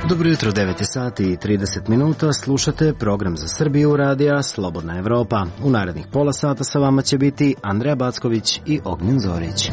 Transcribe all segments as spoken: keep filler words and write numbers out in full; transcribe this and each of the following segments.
Dobro jutro, devet sati i trideset minuta, slušate program za Srbiju radija Slobodna Evropa. U narednih pola sata sa vama će biti Andreja Backović i Ognjen Zorić.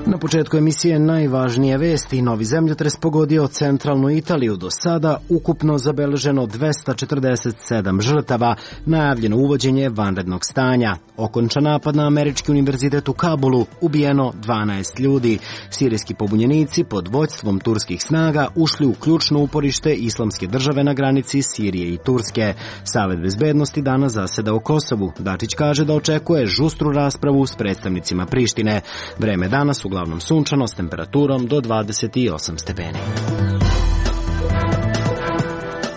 Na početku emisije najvažnije vesti. Novi zemljotres pogodio centralnu Italiju. Do sada ukupno zabeleženo dvesta četrdeset sedam žrtava. Najavljeno uvođenje vanrednog stanja. Okončan napad na američki univerzitet u Kabulu. Ubijeno dvanaest ljudi. Sirijski pobunjenici pod vođstvom turskih snaga ušli u ključno uporište Islamske države na granici Sirije i Turske. Savet bezbednosti danas zaseda o Kosovu. Dačić kaže da očekuje žustru raspravu s predstavnicima Prištine. Vreme danas uglavnom sunčano s temperaturom do dvadeset osam stepeni.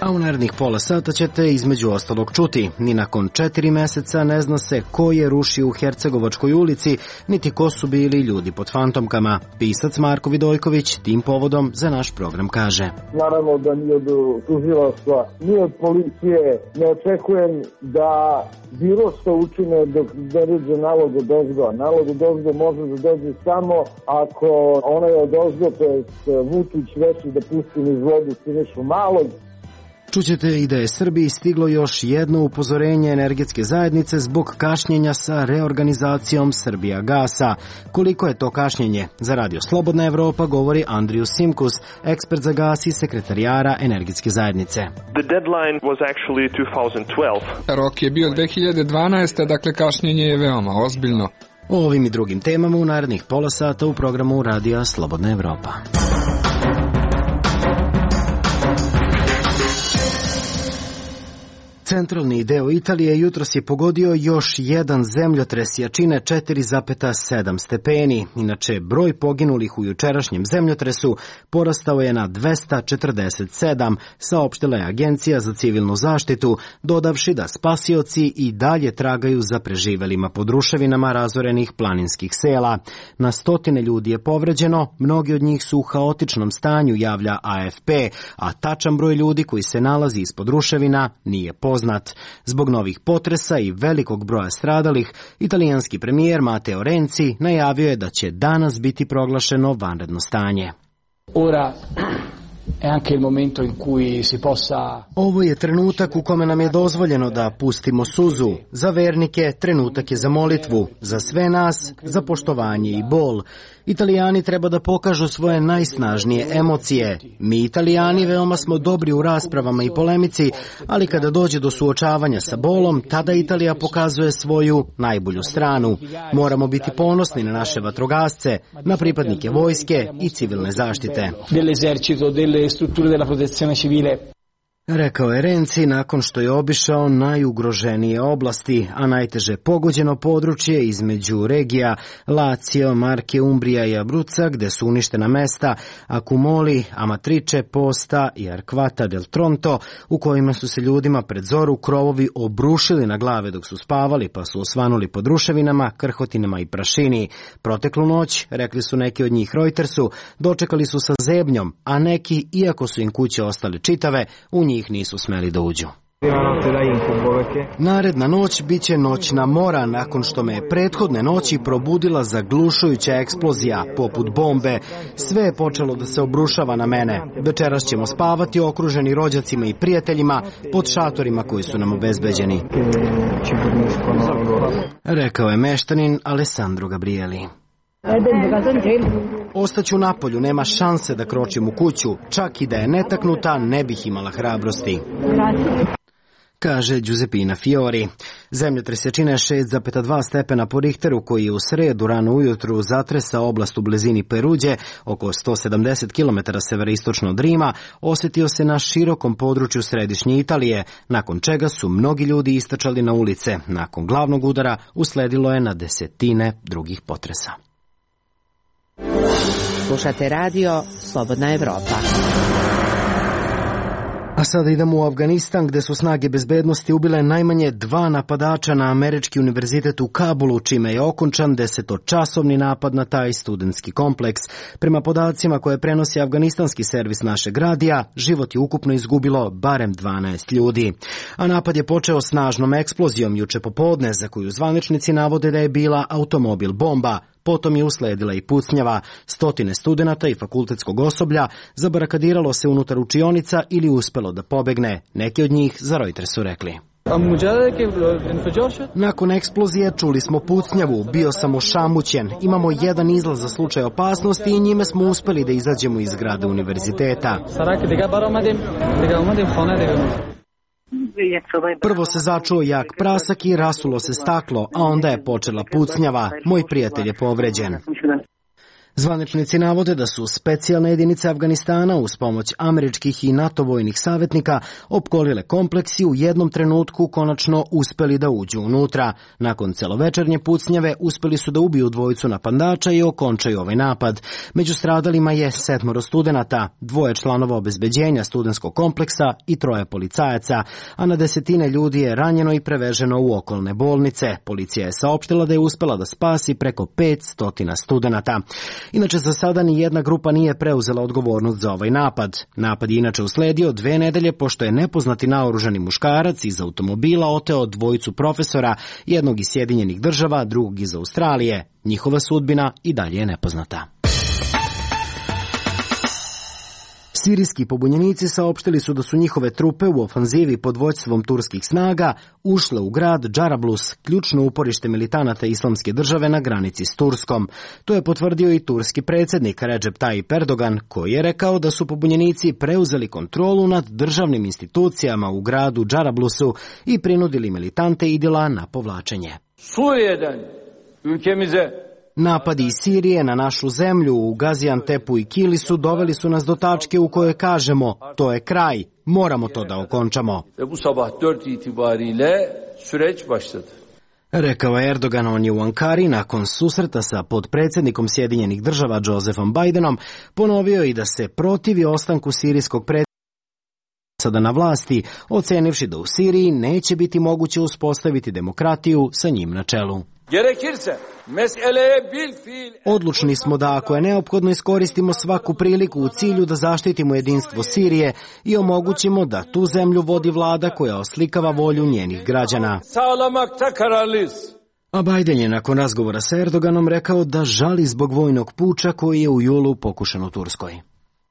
A u narednih pola sata ćete između ostalog čuti. Ni nakon četiri meseca ne zna se ko je rušio u Hercegovačkoj ulici, niti ko su bili ljudi pod fantomkama. Pisac Marko Vidojković tim povodom za naš program kaže: Naravno da ni od tužilaštva, ni od policije ne očekujem da bilo što učine dok ne dođe nalog od ozgo. Nalog od ozgo može da dođe samo ako onaj od ozgo, to je Vučić, reši da pusti niz vodu Sinišu Malog. Čućete i da je Srbiji stiglo još jedno upozorenje energetske zajednice zbog kašnjenja sa reorganizacijom Srbijagasa. Koliko je to kašnjenje? Za Radio Slobodna Evropa govori Andriju Simkus, ekspert za gas i sekretarijara energetske zajednice. The deadline was actually twenty twelve. Rok je bio dve hiljade dvanaeste. Dakle kašnjenje je veoma ozbiljno. O ovim i drugim temama u narednih pola sata u programu Radija Slobodna Evropa. Centralni deo Italije jutros je pogodio još jedan zemljotres jačine četiri zarez sedam stepeni. Inače, broj poginulih u jučerašnjem zemljotresu porastao je na dvesta četrdeset sedam, saopštila je Agencija za civilnu zaštitu, dodavši da spasioci i dalje tragaju za preživelima pod ruševinama razorenih planinskih sela. Na stotine ljudi je povređeno, mnogi od njih su u haotičnom stanju, javlja A F P, a tačan broj ljudi koji se nalazi ispod ruševina nije poznat. Zbog novih potresa i velikog broja stradalih, italijanski premijer Matteo Renzi najavio je da će danas biti proglašeno vanredno stanje. Ora è anche il momento in cui si possa... Ovo je trenutak u kome nam je dozvoljeno da pustimo suzu. Za vernike trenutak je za molitvu, za sve nas za poštovanje i bol. Italijani treba da pokažu svoje najsnažnije emocije. Mi Italijani veoma smo dobri u raspravama i polemici, ali kada dođe do suočavanja sa bolom, tada Italija pokazuje svoju najbolju stranu. Moramo biti ponosni na naše vatrogasce, na pripadnike vojske i civilne zaštite. Dell'esercito, delle strutture della protezione civile. Rekao je Renzi nakon što je obišao najugroženije oblasti, a najteže pogođeno područje između regija Lazio, Marke, Umbrija i Abruzza, gde su uništena mesta Accumoli, Amatrice, Posta i Arquata del Tronto, u kojima su se ljudima pred zoru krovovi obrušili na glave dok su spavali, pa su osvanuli pod ruševinama, krhotinama i prašini. Proteklu noć, rekli su neki od njih Reutersu, dočekali su sa zebnjom, a neki, iako su im kuće ostale čitave, u njih nisu smeli da uđu. Naredna noć biće noćna mora nakon što me je prethodne noći probudila zaglušujuća eksplozija poput bombe. Sve je počelo da se obrušava na mene. Večeras ćemo spavati okruženi rođacima i prijateljima pod šatorima koji su nam obezbeđeni, rekao je meštanin Alessandro Gabrieli. Ostaću napolju, nema šanse da kročim u kuću, čak i da je netaknuta, ne bih imala hrabrosti, kaže Giuseppina Fiori. Zemljotres jačine šest zarez dva stepena po Richteru, koji je u sredu rano ujutru zatresao oblast u blizini Peruđe, oko sto sedamdeset kilometara severistočno od Rima, osjetio se na širokom području središnje Italije, nakon čega su mnogi ljudi istračali na ulice. Nakon glavnog udara usledilo je na desetine drugih potresa. Slušate radio Slobodna Evropa. A A sada idemo u Afganistan, gde su snage bezbednosti ubile najmanje dva napadača na američki univerzitet u Kabulu, čime je okončan desetočasovni napad na taj studentski kompleks. Prema podacima koje prenosi afganistanski servis našeg radija, život je ukupno izgubilo barem dvanaest ljudi. A napad je počeo snažnom eksplozijom juče popodne, za koju zvaničnici navode da je bila automobil bomba. Potom je usledila i pucnjava. Stotine studenata i fakultetskog osoblja zabarakadiralo se unutar učionica ili uspelo da pobegne. Neki od njih za Reuters su rekli: nakon eksplozije čuli smo pucnjavu, bio sam ošamućen, imamo jedan izlaz za slučaj opasnosti i njime smo uspeli da izađemo iz zgrade univerziteta. Prvo se začuo jak prasak i rasulo se staklo, a onda je počela pucnjava. Moj prijatelj je povređen. Zvaničnici navode da su specijalne jedinice Afganistana uz pomoć američkih i NATO vojnih savjetnika opkolile kompleks i u jednom trenutku konačno uspeli da uđu unutra. Nakon celovečernje pucnjave uspeli su da ubiju dvojicu napadača i okončaju ovaj napad. Među stradalima je sedmoro studenata, dvoje članova obezbeđenja studentskog kompleksa i troje policajaca, a na desetine ljudi je ranjeno i preveženo u okolne bolnice. Policija je saopštila da je uspela da spasi preko petsto studenata. Inače, za sada ni jedna grupa nije preuzela odgovornost za ovaj napad. Napad je inače usledio dve nedelje pošto je nepoznati naoružani muškarac iz automobila oteo dvojicu profesora, jednog iz Sjedinjenih država, drugog iz Australije. Njihova sudbina i dalje je nepoznata. Sirijski pobunjenici saopštili su da su njihove trupe u ofanzivi pod vođstvom turskih snaga ušle u grad Džarablus, ključno uporište militanata Islamske države na granici s Turskom. To je potvrdio i turski predsjednik Recep Tayyip Erdogan, koji je rekao da su pobunjenici preuzeli kontrolu nad državnim institucijama u gradu Džarablusu i prinudili militante Idila na povlačenje. Suriye'den ülkemize Napadi iz Sirije na našu zemlju u Gaziantepu i Kilisu doveli su nas do tačke u kojoj kažemo to je kraj, moramo to da okončamo. Bu sabah dört itibariyle süreç başladı. Rekao je Erdogan, on je u Ankari nakon susreta sa podpredsjednikom Sjedinjenih država Josephom Bidenom ponovio i da se protivi ostanku sirijskog predsjednika sada na vlasti, ocenivši da u Siriji neće biti moguće uspostaviti demokratiju sa njim na čelu. Odlučni smo da ako je neophodno iskoristimo svaku priliku u cilju da zaštitimo jedinstvo Sirije i omogućimo da tu zemlju vodi vlada koja oslikava volju njenih građana. A Biden je nakon razgovora sa Erdoganom rekao da žali zbog vojnog puča koji je u julu pokušan u Turskoj.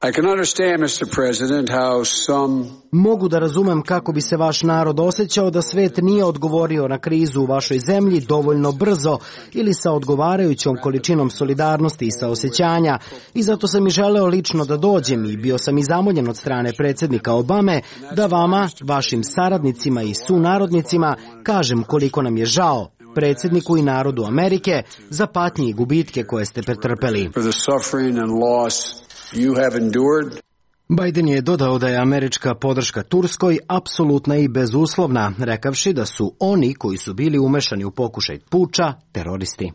I can understand, mister President, how some... Mogu da razumem kako bi se vaš narod osjećao da svet nije odgovorio na krizu u vašoj zemlji dovoljno brzo ili sa odgovarajućom količinom solidarnosti i saosećanja, i zato sam i želeo lično da dođem i bio sam i zamoljen od strane predsjednika Obame da vama, vašim saradnicima i sunarodnicima kažem koliko nam je žao, predsjedniku i narodu Amerike, za patnje i gubitke koje ste pretrpeli. Biden je dodao da je američka podrška Turskoj apsolutna i bezuslovna, rekavši da su oni koji su bili umešani u pokušaj puča teroristi.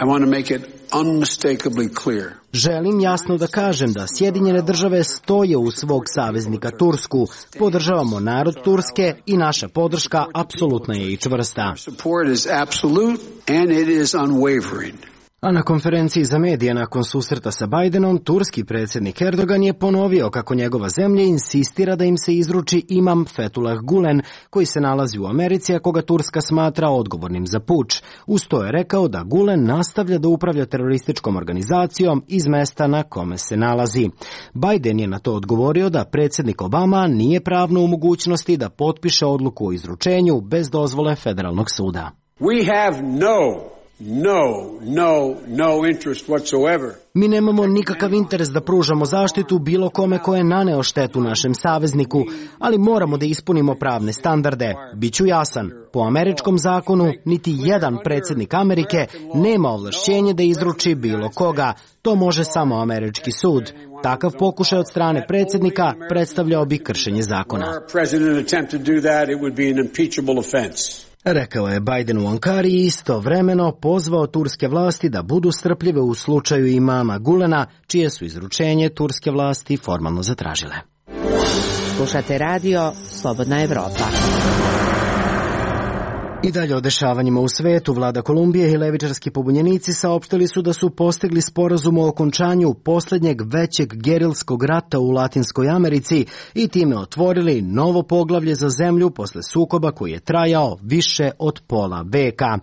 I want to make it unmistakably clear. Želim jasno da kažem da Sjedinjene države stoje uz svog saveznika Tursku, podržavamo narod Turske i naša podrška apsolutna je i čvrsta. Support is absolute and it is unwavering. A na konferenciji za medije nakon susreta sa Bidenom, turski predsjednik Erdogan je ponovio kako njegova zemlja insistira da im se izruči imam Fethullah Gulen, koji se nalazi u Americi, a koga Turska smatra odgovornim za puč. Uz to je rekao da Gulen nastavlja da upravlja terorističkom organizacijom iz mesta na kome se nalazi. Biden je na to odgovorio da predsjednik Obama nije pravno u mogućnosti da potpiše odluku o izručenju bez dozvole federalnog suda. We have no No, no, no interest whatsoever. Mi nemamo nikakav interes da pružamo zaštitu bilo kome ko je naneo štetu našem savezniku, ali moramo da ispunimo pravne standarde. Biću jasan, po američkom zakonu niti jedan predsjednik Amerike nema ovlašćenje da izruči bilo koga. To može samo američki sud. Takav pokušaj od strane predsjednika predstavljao bi kršenje zakona. Rekao je Biden u Ankari i istovremeno pozvao turske vlasti da budu strpljive u slučaju imama Gulena, čije su izručenje turske vlasti formalno zatražile. Slušate radio Slobodna Evropa. I dalje o dešavanjima u svetu, vlada Kolumbije i levičarski pobunjenici saopštili su da su postigli sporazum o okončanju posljednjeg većeg gerilskog rata u Latinskoj Americi i time otvorili novo poglavlje za zemlju posle sukoba koji je trajao više od pola veka.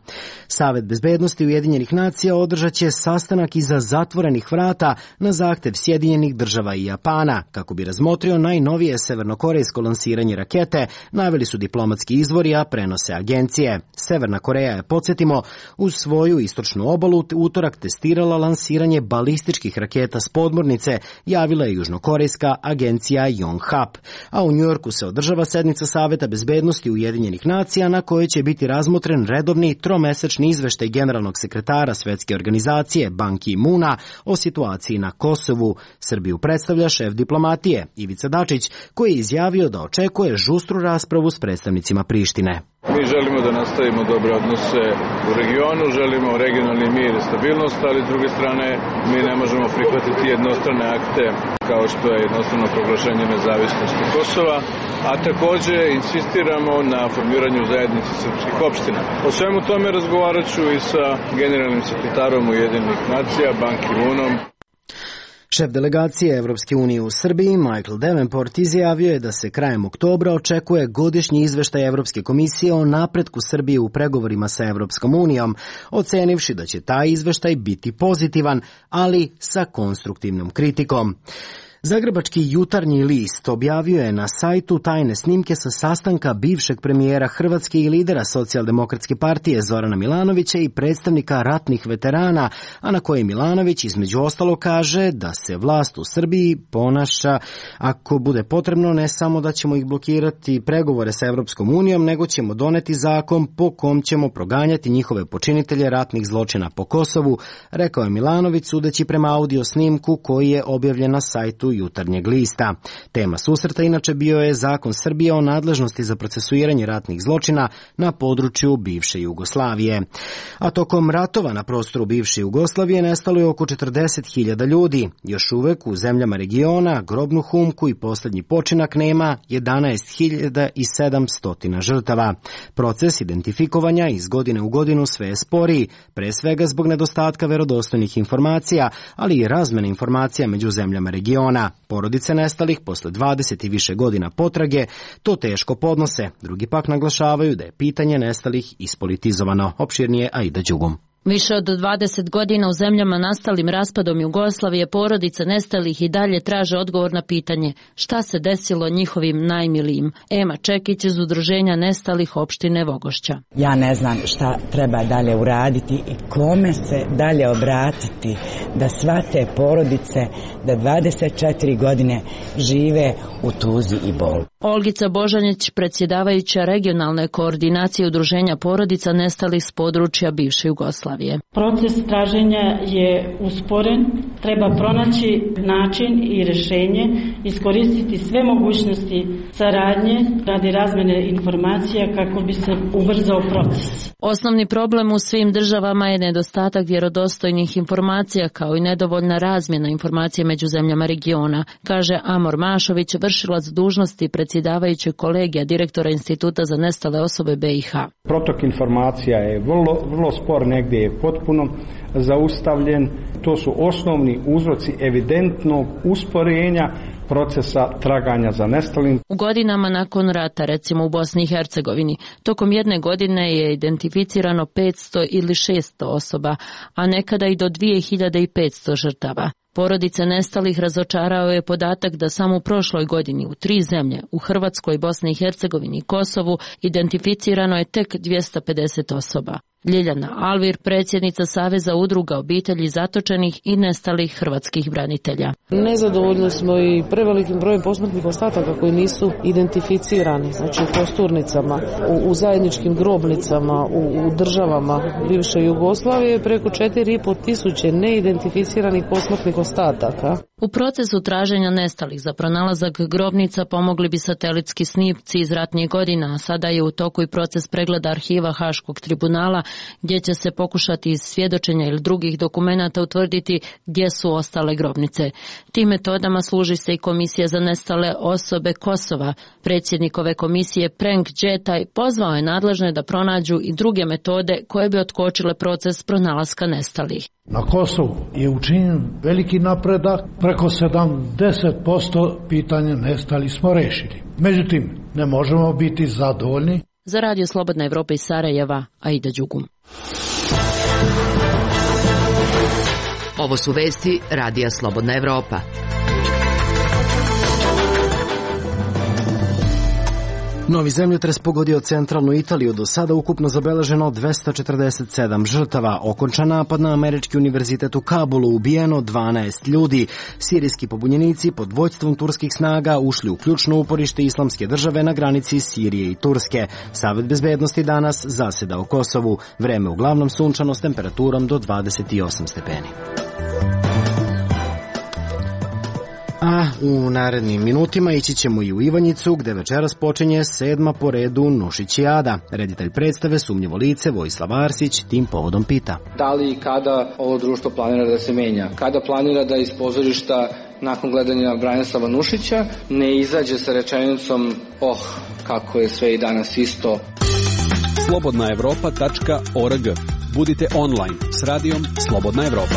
Savet bezbednosti Ujedinjenih nacija održat će sastanak iza zatvorenih vrata na zahtev Sjedinjenih država i Japana, kako bi razmotrio najnovije severnokorejsko lansiranje rakete, naveli su diplomatski izvori, a prenose agencije. Severna Koreja je, podsjetimo, uz svoju istočnu obalu utorak testirala lansiranje balističkih raketa s podmornice, javila je južnokorejska agencija Yonhap. A u Njujorku se održava sednica Saveta bezbednosti Ujedinjenih nacija na kojoj će biti razmotren redovni tromesečni izveštaj generalnog sekretara Svetske organizacije Ban Ki-moona o situaciji na Kosovu. Srbiju predstavlja šef diplomatije Ivica Dačić, koji je izjavio da očekuje žustru raspravu s predstavnicima Prištine. Mi želimo da nastavimo dobre odnose u regionu, želimo regionalni mir i stabilnost, ali s druge strane mi ne možemo prihvatiti jednostrane akte kao što je jednostrano proglašenje nezavisnosti Kosova, a takođe insistiramo na formiranju zajednice srpskih opština. O svemu tome razgovarat ću i sa generalnim sekretarom Ujedinjenih nacija, Ban Ki-moonom. Šef delegacije Evropske unije u Srbiji, Michael Davenport, izjavio je da se krajem oktobra očekuje godišnji izveštaj Evropske komisije o napretku Srbije u pregovorima sa Evropskom unijom, ocenivši da će taj izveštaj biti pozitivan, ali sa konstruktivnom kritikom. Zagrebački Jutarnji list objavio je na sajtu tajne snimke sa sastanka bivšeg premijera Hrvatske i lidera Socijaldemokratske partije Zorana Milanovića i predstavnika ratnih veterana, a na koje Milanović između ostalo kaže da se vlast u Srbiji ponaša, ako bude potrebno, ne samo da ćemo ih blokirati pregovore sa Evropskom unijom, nego ćemo doneti zakon po kom ćemo proganjati njihove počinitelje ratnih zločina po Kosovu, rekao je Milanović sudeći prema audio snimku koji je objavljen na sajtu Jutarnjeg lista. Tema susreta inače bio je zakon Srbije o nadležnosti za procesuiranje ratnih zločina na području bivše Jugoslavije. A tokom ratova na prostoru bivše Jugoslavije nestalo je oko četrdeset hiljada ljudi. Još uvek u zemljama regiona grobnu humku i posljednji počinak nema jedanaest hiljada sedamsto žrtava. Proces identifikovanja iz godine u godinu sve je sporiji, pre svega zbog nedostatka verodostojnih informacija, ali i razmene informacija među zemljama regiona. Porodice nestalih posle dvadeset i više godina potrage to teško podnose. Drugi pak naglašavaju da je pitanje nestalih ispolitizovano. Opširnije Aida Đugum. Više od dvadeset godina u zemljama nastalim raspadom Jugoslavije porodice nestalih i dalje traže odgovor na pitanje šta se desilo njihovim najmilijim. Ema Čekić iz Udruženja nestalih opštine Vogošća. Ja ne znam šta treba dalje uraditi i kome se dalje obratiti da sva te porodice da dvadeset četiri godine žive u tuzi i bolu. Olgica Božanić, predsjedavajuća regionalne koordinacije Udruženja porodica nestalih s područja bivše Jugoslavije. Proces traženja je usporen, treba pronaći način i rješenje, iskoristiti sve mogućnosti saradnje radi razmene informacija kako bi se ubrzao proces. Osnovni problem u svim državama je nedostatak vjerodostojnih informacija kao i nedovoljna razmjena informacija među zemljama regiona, kaže Amor Mašović, vršilac dužnosti predsjedavajućeg kolegija direktora Instituta za nestale osobe B i H. Protok informacija je vrlo, vrlo spor, negdje je potpuno zaustavljen. To su osnovni uzroci evidentnog usporenja procesa traganja za nestalim. U godinama nakon rata, recimo u Bosni i Hercegovini, tokom jedne godine je identificirano petsto ili šesto osoba, a nekada i do dvije hiljade petsto žrtava. Porodice nestalih razočarao je podatak da samo u prošloj godini u tri zemlje, u Hrvatskoj, Bosni i Hercegovini i Kosovu, identificirano je tek dvjesto pedeset osoba. Ljiljana Alvir, predsjednica Saveza udruga obitelji zatočenih i nestalih hrvatskih branitelja. Nezadovoljni smo i prevelikim brojem posmrtnih ostataka koji nisu identificirani, znači u kosturnicama, u, u zajedničkim grobnicama, u, u državama bivše Jugoslavije, preko četiri i pol tisuće neidentificiranih posmrtnih ostataka. U procesu traženja nestalih za pronalazak grobnica pomogli bi satelitski snimci iz ratnih godina, a sada je u toku i proces pregleda arhiva Haškog tribunala, gdje će se pokušati iz svjedočenja ili drugih dokumenata utvrditi gdje su ostale grobnice. Tim metodama služi se i Komisija za nestale osobe Kosova. Predsjednik ove komisije Prenk Džetaj pozvao je nadležne da pronađu i druge metode koje bi otkočile proces pronalaska nestalih. Na Kosovu je učinjen veliki napredak, preko sedamdeset posto pitanja nestalih smo rešili. Međutim, ne možemo biti zadovoljni. Za Radio Slobodna Evropa iz Sarajeva, Aida Đugum. Ovo su vesti Radija Slobodna Evropa. Novi zemljotres pogodio centralnu Italiju, do sada ukupno zabeleženo dvesta četrdeset sedam žrtava, okončan napad na američki univerzitet u Kabulu, ubijeno dvanaest ljudi. Sirijski pobunjenici pod vođstvom turskih snaga ušli u ključno uporište Islamske države na granici Sirije i Turske. Savet bezbednosti danas zaseda u Kosovu. Vreme uglavnom sunčano s temperaturom do dvadeset osam stepeni. A u narednim minutima ići ćemo i u Ivanjicu, gde večeras počinje sedma po redu Nušićijada. Reditelj predstave Sumnjivo lice Vojislav Arsić tim povodom pita: da li i kada ovo društvo planira da se menja? Kada planira da iz pozorišta nakon gledanja Branislava Nušića ne izađe sa rečenicom oh, kako je sve i danas isto. slobodna evropa tačka org. Budite online s radijom Slobodna Evropa.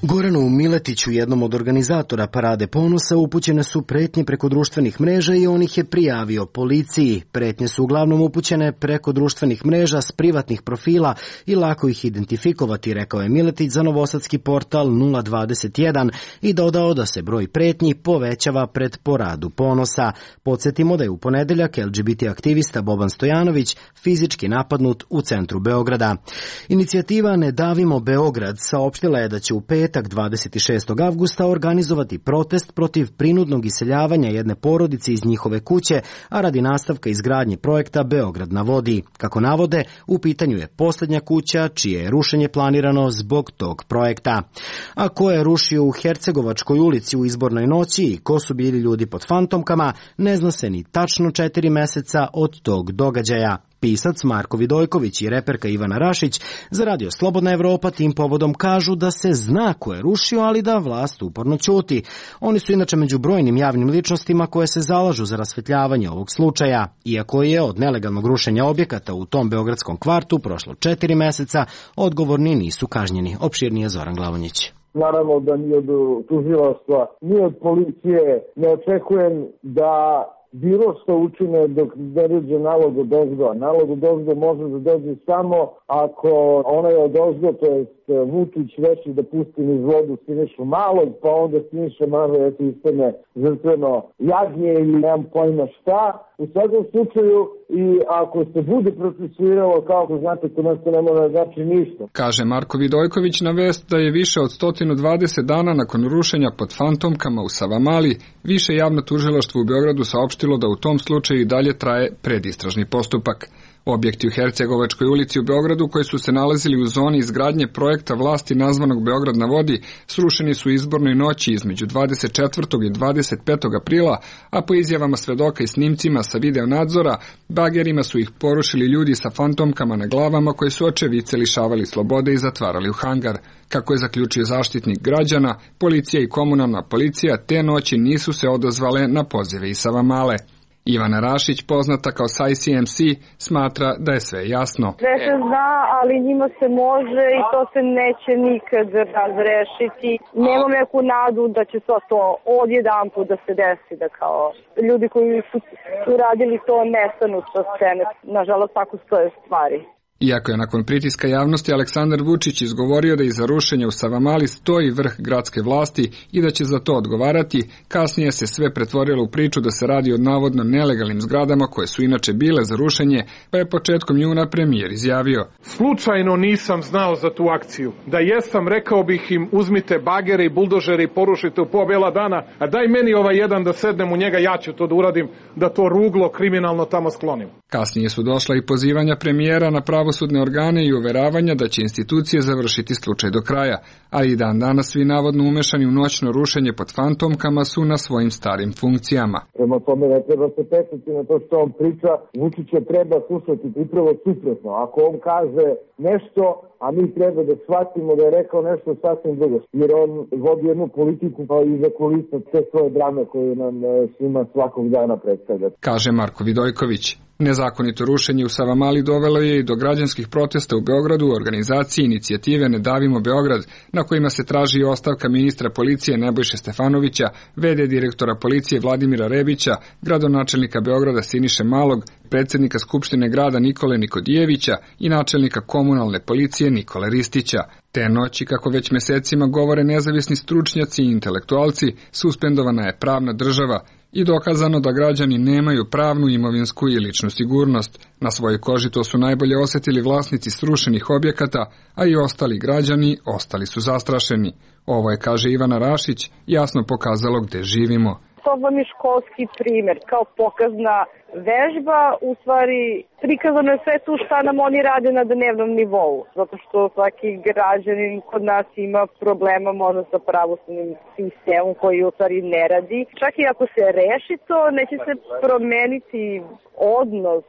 Goranu Miletiću, jednom od organizatora Parade ponosa, upućene su pretnje preko društvenih mreža i on ih je prijavio policiji. Pretnje su uglavnom upućene preko društvenih mreža s privatnih profila i lako ih identifikovati, rekao je Miletić za novosadski portal nula dvadeset jedan i dodao da se broj pretnji povećava pred Paradu ponosa. Podsjetimo da je u ponedeljak L G B T aktivista Boban Stojanović fizički napadnut u centru Beograda. Inicijativa Ne davimo Beograd saopštila je da će u petak dvadeset šestog avgusta organizovati protest protiv prinudnog iseljavanja jedne porodice iz njihove kuće, a radi nastavka izgradnje projekta Beograd na vodi. Kako navode, u pitanju je posljednja kuća čije je rušenje planirano zbog tog projekta. A ko je rušio u Hercegovačkoj ulici u izbornoj noći i ko su bili ljudi pod fantomkama, ne zna se ni tačno četiri meseca od tog događaja. Pisac Marko Vidojković i reperka Ivana Rašić za Radio Slobodna Evropa tim povodom kažu da se zna ko je rušio, ali da vlast uporno ćuti. Oni su inače među brojnim javnim ličnostima koje se zalažu za rasvetljavanje ovog slučaja. Iako je od nelegalnog rušenja objekata u tom beogradskom kvartu prošlo četiri meseca, odgovorni nisu kažnjeni. Opširnije Zoran Glavonjić. Naravno da ni od tužilaštva, ni od policije ne očekujem da bilo što učine dok ne dođe nalog od ozgo. Nalog od ozgo može da dođe samo ako onaj od ozgo, to je Vučić, reši da pusti niz vodu Sinišu Malog, pa onda Siniša Malo eto istane žrtveno jagnje ili nemam pojma šta. U svakom slučaju, i ako se bude procesuiralo, kao ko znate, to nas ne mora znači ništa. Kaže Marko Vidojković na vest da je više od sto dvadeset dana nakon rušenja pod fantomkama u Savamali, više javno tužilaštvo u Beogradu saopštilo da u tom slučaju i dalje traje predistražni postupak. Objekti u Hercegovačkoj ulici u Beogradu koji su se nalazili u zoni izgradnje projekta vlasti nazvanog Beograd na vodi srušeni su izbornoj noći između dvadeset četvrtog i dvadeset petog aprila, a po izjavama svedoka i snimcima sa video nadzora, bagerima su ih porušili ljudi sa fantomkama na glavama koji su očevice lišavali slobode i zatvarali u hangar. Kako je zaključio zaštitnik građana, policija i komunalna policija te noći nisu se odazvale na pozive iz Savamale. Ivana Rašić, poznata kao S I C M C, smatra da je sve jasno. Sve se zna, ali njima se može i to se neće nikad razrešiti. Nemam neku nadu da će to, to odjedan put da se desi, da kao ljudi koji su uradili to nestanu sa scene. Nažalost, tako stoje stvari. Iako je nakon pritiska javnosti Aleksandar Vučić izgovorio da iza rušenja u Savamali stoji vrh gradske vlasti i da će za to odgovarati, kasnije se sve pretvorilo u priču da se radi o navodno nelegalnim zgradama koje su inače bile za rušenje, pa je početkom juna premijer izjavio: slučajno nisam znao za tu akciju. Da jesam, rekao bih im uzmite bagere i buldožere i porušite u pola bela dana, a daj meni ovaj jedan da sednem u njega, ja ću to da uradim, da to ruglo kriminalno tamo sklonim. Kasnije su došla i pozivanja premijera na pravo pravosudne organe i uveravanja da će institucije završiti slučaj do kraja, ali i dan danas svi navodno umešani u noćno rušenje pod fantomkama su na svojim starim funkcijama. Prema tome ne treba se pečati na to što on priča, Vučića treba slušati upravo suprotno. Ako on kaže nešto, a mi treba da shvatimo da je rekao nešto sasvim drugo, jer on vodi jednu politiku pa i za kulisno te svoje drame koje nam svima svakog dana predstavlja. Kaže Marko Vidojković. Nezakonito rušenje u Savamali dovelo je i do građanskih protesta u Beogradu u organizaciji inicijative Ne davimo Beograd, na kojima se traži ostavka ministra policije Nebojše Stefanovića, v d direktora policije Vladimira Rebića, gradonačelnika Beograda Siniše Malog, predsjednika Skupštine grada Nikole Nikodijevića i načelnika komunalne policije Nikole Ristića. Te noći, kako već mesecima govore nezavisni stručnjaci i intelektualci, suspendovana je pravna država i dokazano da građani nemaju pravnu, imovinsku i ličnu sigurnost. Na svojoj koži to su najbolje osjetili vlasnici srušenih objekata, a i ostali građani ostali su zastrašeni. Ovo je, kaže Ivana Rašić, jasno pokazalo gde živimo. To vam je školski primjer, kao pokazna vežba, u stvari prikazano je sve tu šta nam oni rade na dnevnom nivou, zato što svaki građanin kod nas ima problema možda sa pravosudnim sistemom koji u stvari ne radi. Čak i ako se reši to, neće se promeniti odnos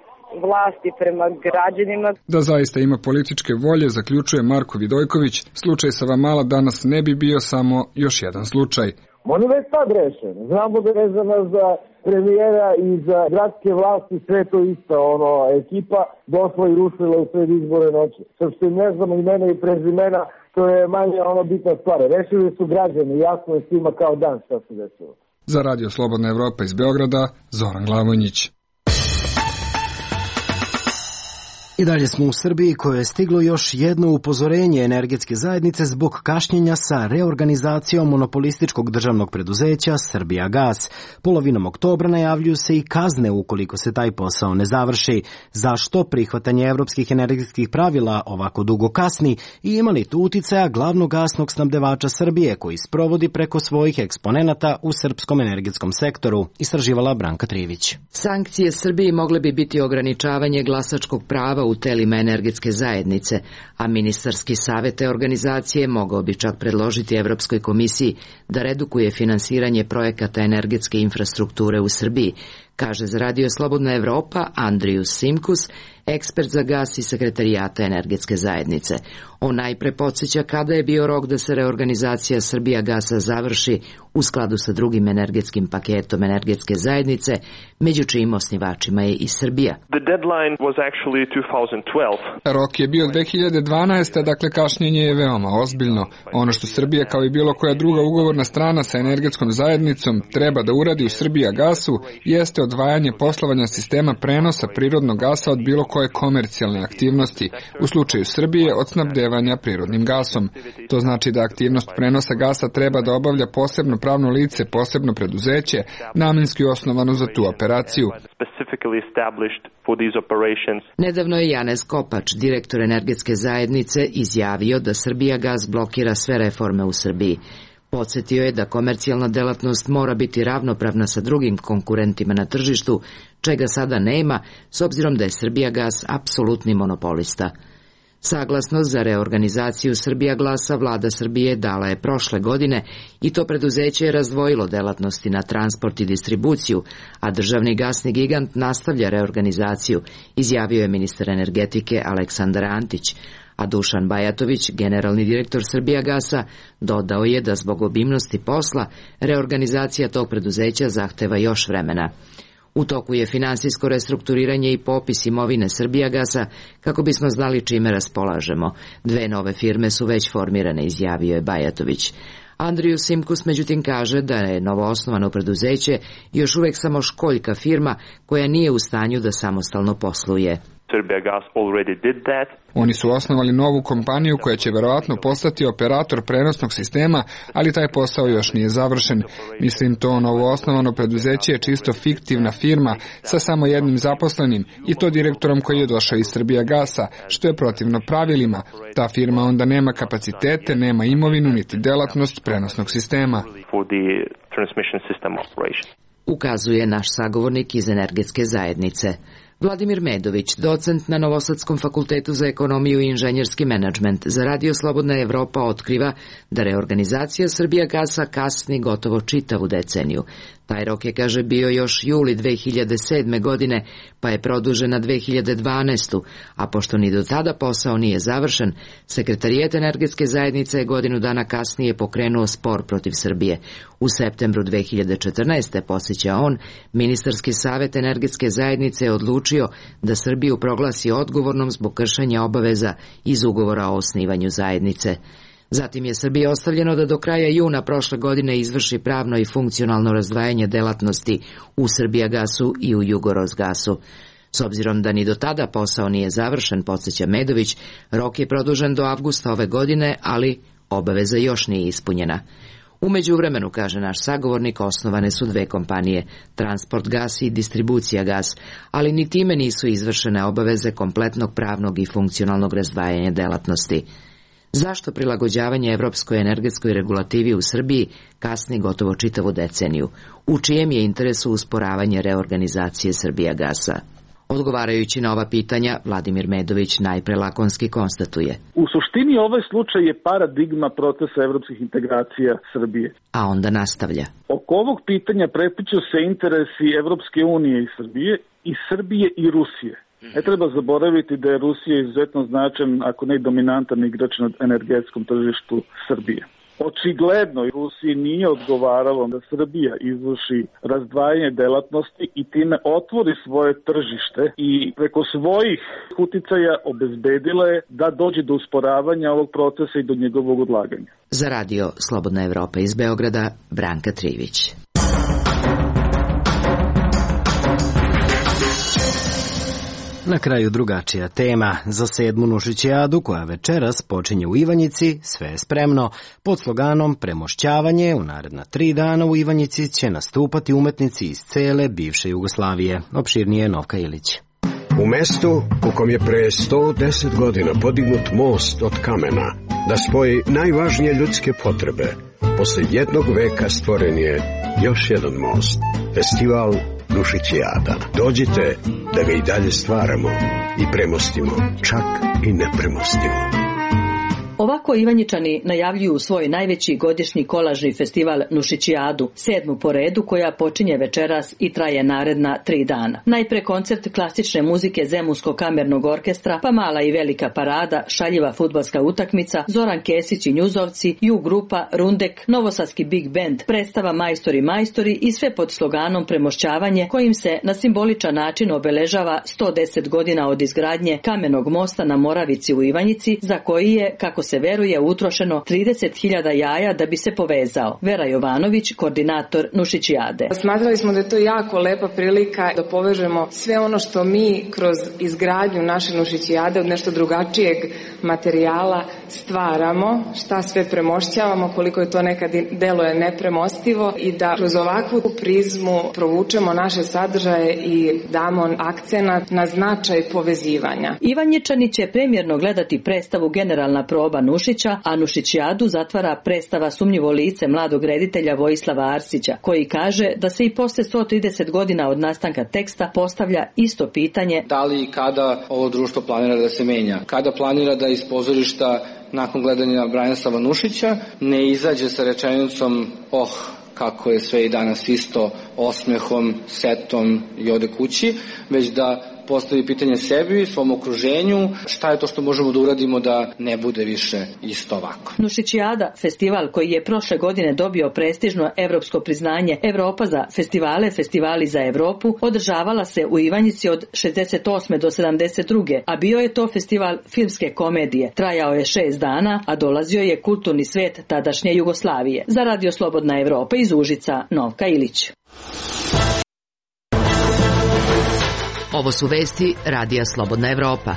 vlasti prema građanima. Da zaista ima političke volje, zaključuje Marko Vidojković, slučaj Savamala danas ne bi bio samo još jedan slučaj. On je već sad rešen. Znamo da je vezano za premijera i za gradske vlasti sve to isto, ono, ekipa došla i rušila u sred izbore noći. Sad što ne znamo imena i prezimena, to je manje ono bitna stvar. Rešili su građani, jasno je svima kao dan šta se desilo. Za Radio Slobodna Evropa iz Beograda, Zoran Glavonjić. I dalje smo u Srbiji, koje je stiglo još jedno upozorenje energetske zajednice zbog kašnjenja sa reorganizacijom monopolističkog državnog preduzeća Srbijagas. Polovinom oktobra najavljuju se i kazne ukoliko se taj posao ne završi. Zašto prihvatanje evropskih energetskih pravila ovako dugo kasni i ima li tu uticaja glavnog gasnog snabdevača Srbije koji sprovodi preko svojih eksponenata u srpskom energetskom sektoru, istraživala Branka Trivić. Sankcije Srbiji mogle bi biti ograničavanje glasačkog prava u telima energetske zajednice, a ministarski savet te organizacije mogao bi čak predložiti Evropskoj komisiji da redukuje finansiranje projekata energetske infrastrukture u Srbiji, kaže za Radio Slobodna Evropa Andrijus Simkus, ekspert za gas i sekretarijata energetske zajednice. On najpre podsjeća kada je bio rok da se reorganizacija Srbijagasa završi u skladu sa drugim energetskim paketom energetske zajednice, među čijim osnivačima je i Srbija. The deadline was actually twenty twelve. Rok je bio dve hiljade dvanaeste. Dakle kašnjenje je veoma ozbiljno. Ono što Srbija kao i bilo koja druga ugovorna strana sa energetskom zajednicom treba da uradi u Srbijagasu jeste odvajanje poslovanja sistema prenosa prirodnog gasa od bilo koje komercijalne aktivnosti, u slučaju Srbije od snabdevanja prirodnim gasom. To znači da aktivnost prenosa gasa treba da obavlja posebno pravno lice, posebno preduzeće, namenski osnovano za tu operaciju. Nedavno je Janez Kopač, direktor energetske zajednice, izjavio da Srbijagas blokira sve reforme u Srbiji. Podsjetio je da komercijalna delatnost mora biti ravnopravna sa drugim konkurentima na tržištu, čega sada nema, s obzirom da je Srbijagas apsolutni monopolista. Saglasnost za reorganizaciju Srbijaglasa vlada Srbije dala je prošle godine i to preduzeće je razdvojilo delatnosti na transport i distribuciju, a državni gasni gigant nastavlja reorganizaciju, izjavio je ministar energetike Aleksandar Antić, a Dušan Bajatović, generalni direktor Srbijagasa, dodao je da zbog obimnosti posla reorganizacija tog preduzeća zahteva još vremena. U toku je finansijsko restrukturiranje i popis imovine Srbijagasa kako bismo znali čime raspolažemo. Dve nove firme su već formirane, izjavio je Bajatović. Andriju Simkus međutim kaže da je novoosnovano preduzeće još uvek samo školjka firma koja nije u stanju da samostalno posluje. Srbijagas already did that. Oni su osnovali novu kompaniju koja će verovatno postati operator prenosnog sistema, ali taj posao još nije završen. Mislim, to novoosnovano preduzeće je čisto fiktivna firma sa samo jednim zaposlenim i to direktorom koji je došao iz Srbijagasa, što je protivno pravilima. Ta firma onda nema kapacitete, nema imovinu niti delatnost prenosnog sistema. Ukazuje naš sagovornik iz energetske zajednice. Vladimir Medović, docent na Novosadskom fakultetu za ekonomiju i inženjerski menadžment, za Radio Slobodna Evropa otkriva da reorganizacija Srbijagasa kasni gotovo čitavu deceniju. Taj rok je, kaže, bio još juli dve hiljade sedme. godine, pa je produžen na dve hiljade dvanaestu. a pošto ni do tada posao nije završen, Sekretarijet energetske zajednice je godinu dana kasnije pokrenuo spor protiv Srbije. U septembru dve hiljade četrnaeste. posjeća on, Ministarski savet energetske zajednice je odlučio da Srbiju proglasi odgovornom zbog kršenja obaveza iz ugovora o osnivanju zajednice. Zatim je Srbiji ostavljeno da do kraja juna prošle godine izvrši pravno i funkcionalno razdvajanje delatnosti u Srbijagasu i u Jugorosgasu. S obzirom da ni do tada posao nije završen, podsjeća Medović, rok je produžen do avgusta ove godine, ali obaveza još nije ispunjena. U međuvremenu, kaže naš sagovornik, osnovane su dve kompanije, Transport gas i Distribucija gas, ali ni time nisu izvršene obaveze kompletnog pravnog i funkcionalnog razdvajanja delatnosti. Zašto prilagođavanje evropskoj energetskoj regulativi u Srbiji kasni gotovo čitavu deceniju? U čijem je interesu usporavanje reorganizacije Srbijagasa? Odgovarajući na ova pitanja, Vladimir Medović najpre lakonski konstatuje. U suštini ovaj slučaj je paradigma procesa evropskih integracija Srbije. A onda nastavlja. Oko ovog pitanja prepliću se interesi Evropske unije i Srbije, i Srbije i Rusije. Ne treba zaboraviti da je Rusija izuzetno značan, ako ne dominantan igrač na energetskom tržištu Srbije. Očigledno Rusiji nije odgovaralo da Srbija izvrši razdvajanje delatnosti i time otvori svoje tržište i preko svojih uticaja obezbedila je da dođe do usporavanja ovog procesa i do njegovog odlaganja. Za Radio Slobodna Evropa iz Beograda, Branka Trivić. Na kraju drugačija tema. Za sedmu Nušićijadu, koja večeras počinje u Ivanjici, sve je spremno. Pod sloganom Premošćavanje u naredna tri dana u Ivanjici će nastupati umetnici iz cele bivše Jugoslavije. Opširnije Novka Ilić. U mestu u kom je pre sto deset godina podignut most od kamena da spoji najvažnije ljudske potrebe, posle jednog veka stvoren je još jedan most. Festival Nušićijada. Dođite da ga i dalje stvaramo i premostimo, čak i nepremostivo. Ovako Ivanjičani najavljuju svoj najveći godišnji kolažni festival Nušićijadu, sedmu po redu, koja počinje večeras i traje naredna tri dana. Najpre koncert klasične muzike Zemunskog kamernog orkestra, pa mala i velika parada, šaljiva fudbalska utakmica, Zoran Kesić i Njuzovci, Ju grupa, Rundek, Novosadski Big Band, predstava Majstori majstori i sve pod sloganom Premošćavanje, kojim se na simboličan način obeležava sto deset godina od izgradnje kamenog mosta na Moravici u Ivanjici, za koji je, kako se veruje, utrošeno trideset hiljada jaja da bi se povezao. Vera Jovanović, koordinator Nušićijade. Smatrali smo da je to jako lepa prilika da povežemo sve ono što mi kroz izgradnju naše Nušićijade od nešto drugačijeg materijala stvaramo, šta sve premošćavamo, koliko je to nekad deluje nepremostivo, i da kroz ovakvu prizmu provučemo naše sadržaje i damo akcenat na značaj povezivanja. Ivanjičani će premjerno gledati predstavu Generalna proba Nušića, a Nušićijadu zatvara predstava Sumnjivo lice mladog reditelja Vojislava Arsića, koji kaže da se i posle sto trideset godina od nastanka teksta postavlja isto pitanje: da li i kada ovo društvo planira da se menja? Kada planira da iz pozorišta nakon gledanja Branislava Nušića ne izađe sa rečenicom oh, kako je sve i danas isto, osmehom, setom i ode kući, već da postavi pitanje sebi, svom okruženju, šta je to što možemo da uradimo da ne bude više isto ovako. Nušićijada, festival koji je prošle godine dobio prestižno evropsko priznanje Evropa za festivale, festivali za Evropu, održavala se u Ivanjici od šezdeset osme do sedamdeset druge, a bio je to festival filmske komedije. Trajao je šest dana, a dolazio je kulturni svet tadašnje Jugoslavije. Za Radio Slobodna Evropa iz Užica, Novka Ilić. Ovo su vesti Radija Slobodna Evropa.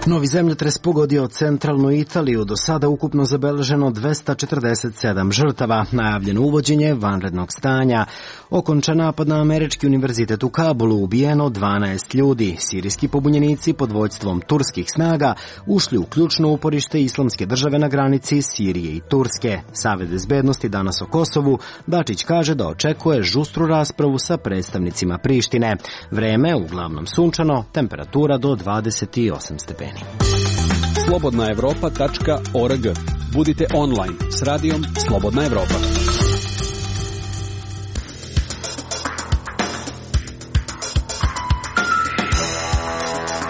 Novi zemljotres pogodio centralnu Italiju, do sada ukupno zabeleženo dvesta četrdeset sedam žrtava, najavljeno uvođenje vanrednog stanja. Okončan napad na Američki univerzitet u Kabulu, ubijeno dvanaest ljudi. Sirijski pobunjenici pod vođstvom turskih snaga ušli u ključno uporište Islamske države na granici Sirije i Turske. Savet bezbednosti danas o Kosovu, Dačić kaže da očekuje žustru raspravu sa predstavnicima Prištine. Vreme uglavnom sunčano, temperatura do dvadeset osam stepeni. slobodna evropa tačka org. Budite online s radijom Slobodna Evropa.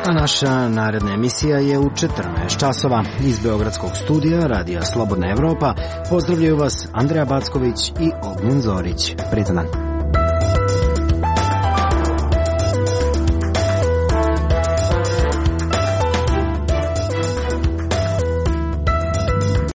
A naša naredna emisija je u četrnaest časova. Iz Beogradskog studija Radija Slobodna Evropa pozdravljaju vas Andreja Backović i Ognjen Zorić. Pritan dan.